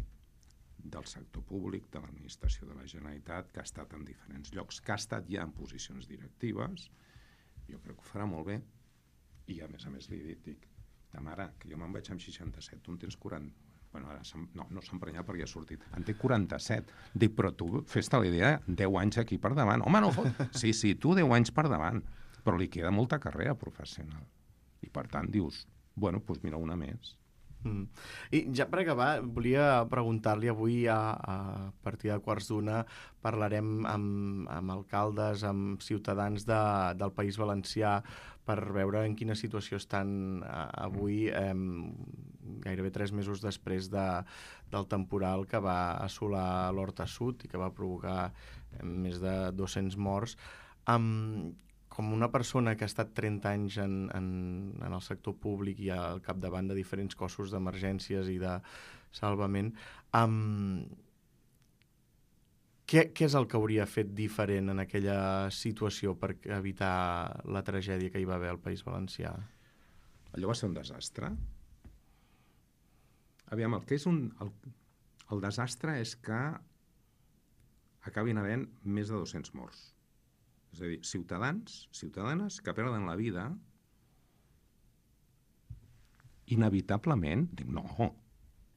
del sector públic, de l'administració de la Generalitat, que ha estat en diferents llocs, que ha estat ja en posicions directives. Jo crec que ho farà molt bé. I a més li dic, Tamara, que jo me'n vaig amb 67, tu en tens 40. Bueno, ara no s'ha emprenyat perquè ha sortit. En té 47. Dic, però tu fes-te la idea, 10 anys aquí per davant. Home, no fot. Sí, tu 10 anys per davant. Però li queda molta carrera professional. I per tant dius, bueno, doncs mira, una més. I ja per acabar, volia preguntar-li avui a partir de 1:15 parlarem amb alcaldes, amb ciutadans del País Valencià per veure en quina situació estan avui, gairebé 3 mesos després del temporal que va assolar l'Horta Sud i que va provocar més de 200 morts. Com una persona que ha estat 30 anys en el sector públic i al capdavant de diferents cossos d'emergències i de salvament, què és el que hauria fet diferent en aquella situació per evitar la tragèdia que hi va haver al País Valencià? Allò va ser un desastre. Aviam, el que és el desastre és que acabin havent més de 200 morts. És a dir, ciutadanes que perden la vida inevitablement, dic, no,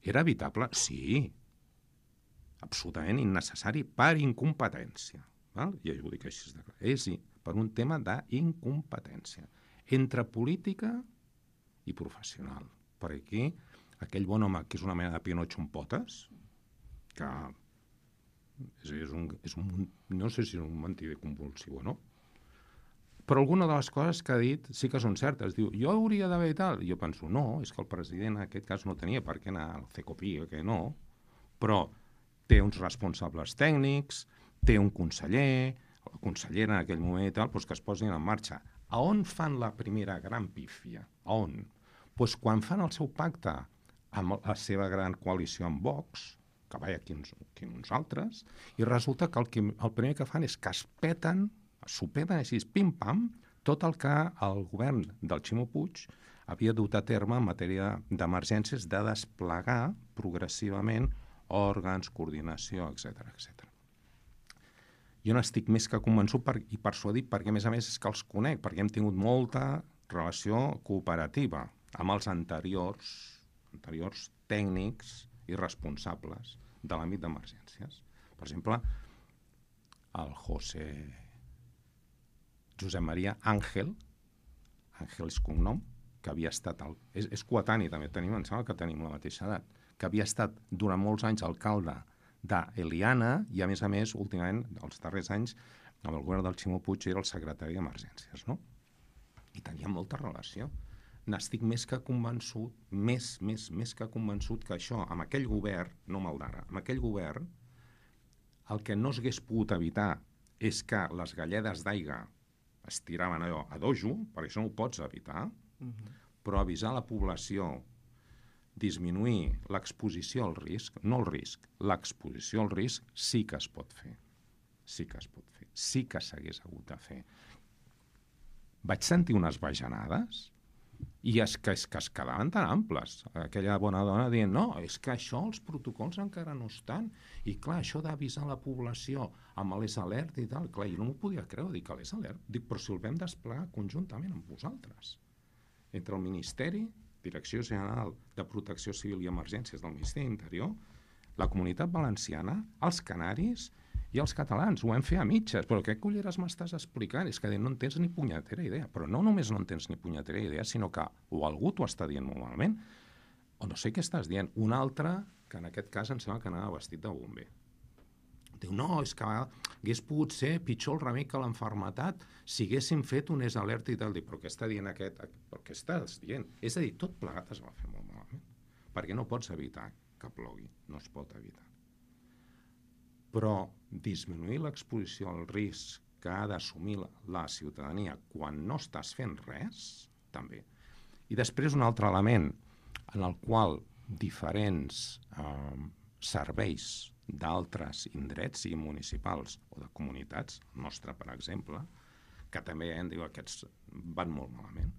Era evitable? Sí. Absolutament innecessari per incompetència. Val? I jo ho dic així de clar. És per un tema d'incompetència. Entre política i professional. Per aquí, aquell bon home que és una mena de Pinotxo amb potes, que és un, no sé si és un mentider convulsiu o no, però alguna de les coses que ha dit sí que són certes. Diu, jo hauria d'haver i tal. I jo penso, no, és que el president en aquest cas no tenia per què anar al CECOPI, que no, però té uns responsables tècnics, té un conseller, o consellera en aquell moment i tal, doncs que es posin en marxa. A on fan la primera gran pífia? A on? Doncs quan fan el seu pacte amb la seva gran coalició amb Vox, que vaja aquí uns altres, i resulta que el primer que fan és que s'ho peten així, pim-pam, tot el que el govern del Ximo Puig havia dut a terme en matèria d'emergències de desplegar progressivament òrgans, coordinació, etc etc. Jo n'estic més que convençut i persuadit perquè, a més, és que els conec, perquè hem tingut molta relació cooperativa amb els anteriors tècnics i responsables de l'àmbit d'emergències. Per exemple, el Josep Maria Àngel és cognom, que havia estat... És coetani, també, em sembla que tenim la mateixa edat, que havia estat durant molts anys alcalde d'Eliana i, a més, últimament, els darrers anys, amb el govern del Ximo Puig era el secretari d'Emergències, no? I tenia molta relació. N'estic més que convençut, més que convençut que això, amb aquell govern, no amb el d'ara, amb aquell govern, el que no s'hagués pogut evitar és que les galledes d'aigua es tiraven allò a dojo, perquè això no ho pots evitar, però avisar la població, disminuir l'exposició al risc, no el risc, l'exposició al risc sí que es pot fer. Sí que es pot fer. Sí que s'hagués hagut de fer. Vaig sentir unes bajanades i és que es quedaven tan amples. Aquella bona dona dient, no, és que això, els protocols encara no estan. I clar, això d'avisar la població amb l'ES Alert i tal, clar, jo no m'ho podia creure, dic, l'ES Alert? Dic, però si el vam desplegar conjuntament amb vosaltres. Entre el Ministeri, Direcció General de Protecció Civil i Emergències del Ministeri d'Interior, la Comunitat Valenciana, els canaris i els catalans. Ho vam fer a mitges. Però què culleres m'estàs explicant? És que no en tens ni punyetera idea. Però no només no en tens ni punyetera idea, sinó que o algú t'ho està dient molt malament, o no sé què estàs dient. Un altre, que en aquest cas em sembla que anava vestit de bomber. Diu, no, és que hagués pogut ser pitjor el remei que l'enfermetat si haguéssim fet un ES Alert i tal. Dic, però què està dient aquest? Però què estàs dient? És a dir, tot plegat es va fer molt malament. Perquè no pots evitar que plogui. No es pot evitar. Però disminuir l'exposició al risc que ha d'assumir la ciutadania quan no estàs fent res, també. I després un altre element en el qual diferents serveis d'altres indrets, sigui municipals o de comunitats, el nostre, per exemple, que també diu aquests van molt malament,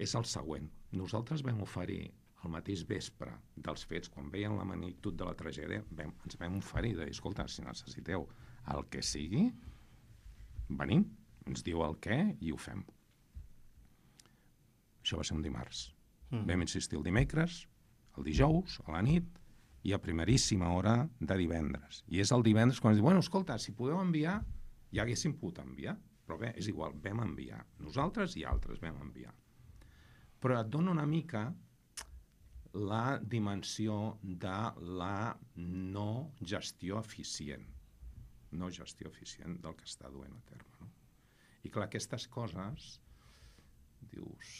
és el següent. Nosaltres vam oferir el mateix vespre dels fets, quan veien la magnitud de la tragèdia, ens vam oferir de dir, escolta, si necessiteu el que sigui, venim, ens diu el què i ho fem. Això va ser un dimarts. Vam insistir el dimecres, el dijous, a la nit, i a primeríssima hora de divendres. I és el divendres quan ens diu, bueno, escolta, si podeu enviar, ja haguéssim pogut enviar, però bé, és igual, vam enviar. Nosaltres i altres vam enviar. Però et dona una mica la dimensió de la no gestió eficient. No gestió eficient del que està duent a terme. No? I clar, aquestes coses, dius,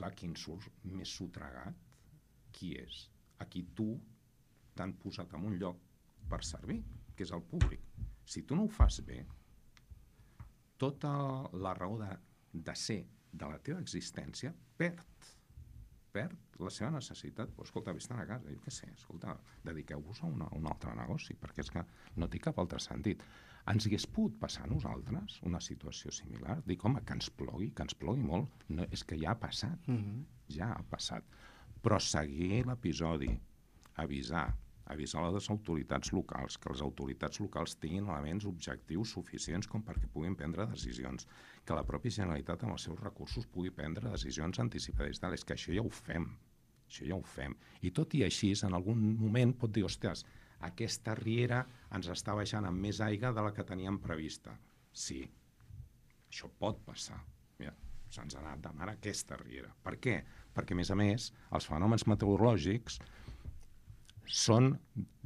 clar, qui en surt més sotregat, qui és? A qui tu t'han posat en un lloc per servir, que és el públic. Si tu no ho fas bé, tota la raó de ser de la teva existència perd la seva necessitat. Però, escolta, vés-te'n a casa, jo què sé, escolta, dediqueu-vos a un altre negoci, perquè és que no té cap altre sentit. Ens hagués pogut passar a nosaltres una situació similar? Dic, home, que ens plogui molt. No, és que ja ha passat, ja ha passat. Però seguir l'episodi, avisar les autoritats locals, que les autoritats locals tinguin elements objectius suficients com perquè puguin prendre decisions, que la pròpia Generalitat amb els seus recursos pugui prendre decisions anticipades. És que això ja ho fem. això ja ho fem. I tot i així, en algun moment pot dir, ostres, aquesta riera ens està baixant amb més aigua de la que teníem prevista. Sí, això pot passar. Mira, se'ns ha anat de mar aquesta riera. Per què? Perquè, a més, els fenòmens meteorològics són...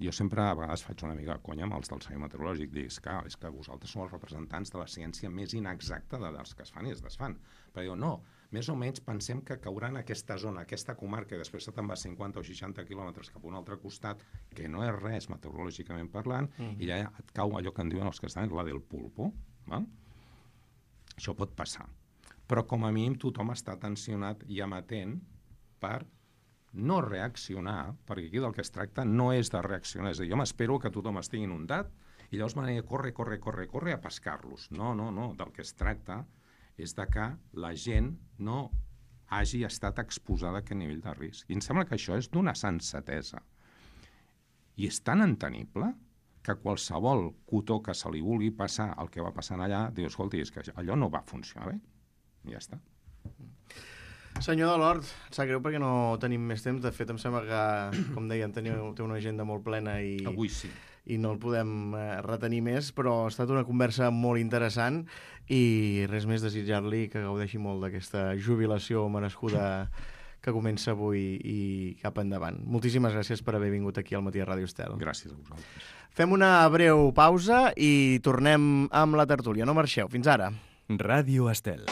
Jo sempre a vegades faig una mica de conya amb els del servei meteorològic, dic, és que vosaltres sou els representants de la ciència més inexacta dels que es fan i es desfan. Però diu, no, més o menys pensem que caurà en aquesta zona, aquesta comarca, i després se te'n va 50 o 60 quilòmetres cap a un altre costat, que no és res meteorològicament parlant, i ja et cau allò que en diuen els castellans, la del pulpo. Val? Això pot passar. Però com a mínim tothom està tensionat i amatent per no reaccionar, perquè aquí del que es tracta no és de reaccionar, és a dir, jo m'espero que tothom estigui inundat i llavors m'aniré corre a pescar-los. No, del que es tracta és de que la gent no hagi estat exposada a aquest nivell de risc. I em sembla que això és d'una sensatesa. I és tan entenible que qualsevol cotó que se li vulgui passar el que va passant allà, diu, escolti, és que allò no va funcionar bé. I ja està. Senyor Delort, sap greu perquè no tenim més temps. De fet, em sembla que, com dèiem, té una agenda molt plena Avui sí. I no el podem retenir més, però ha estat una conversa molt interessant i res més desitjar-li que gaudeixi molt d'aquesta jubilació merescuda que comença avui i cap endavant. Moltíssimes gràcies per haver vingut aquí al Matí de Ràdio Estel. Gràcies a vosaltres. Fem una breu pausa i tornem amb la tertúlia. No marxeu. Fins ara. Ràdio Estel.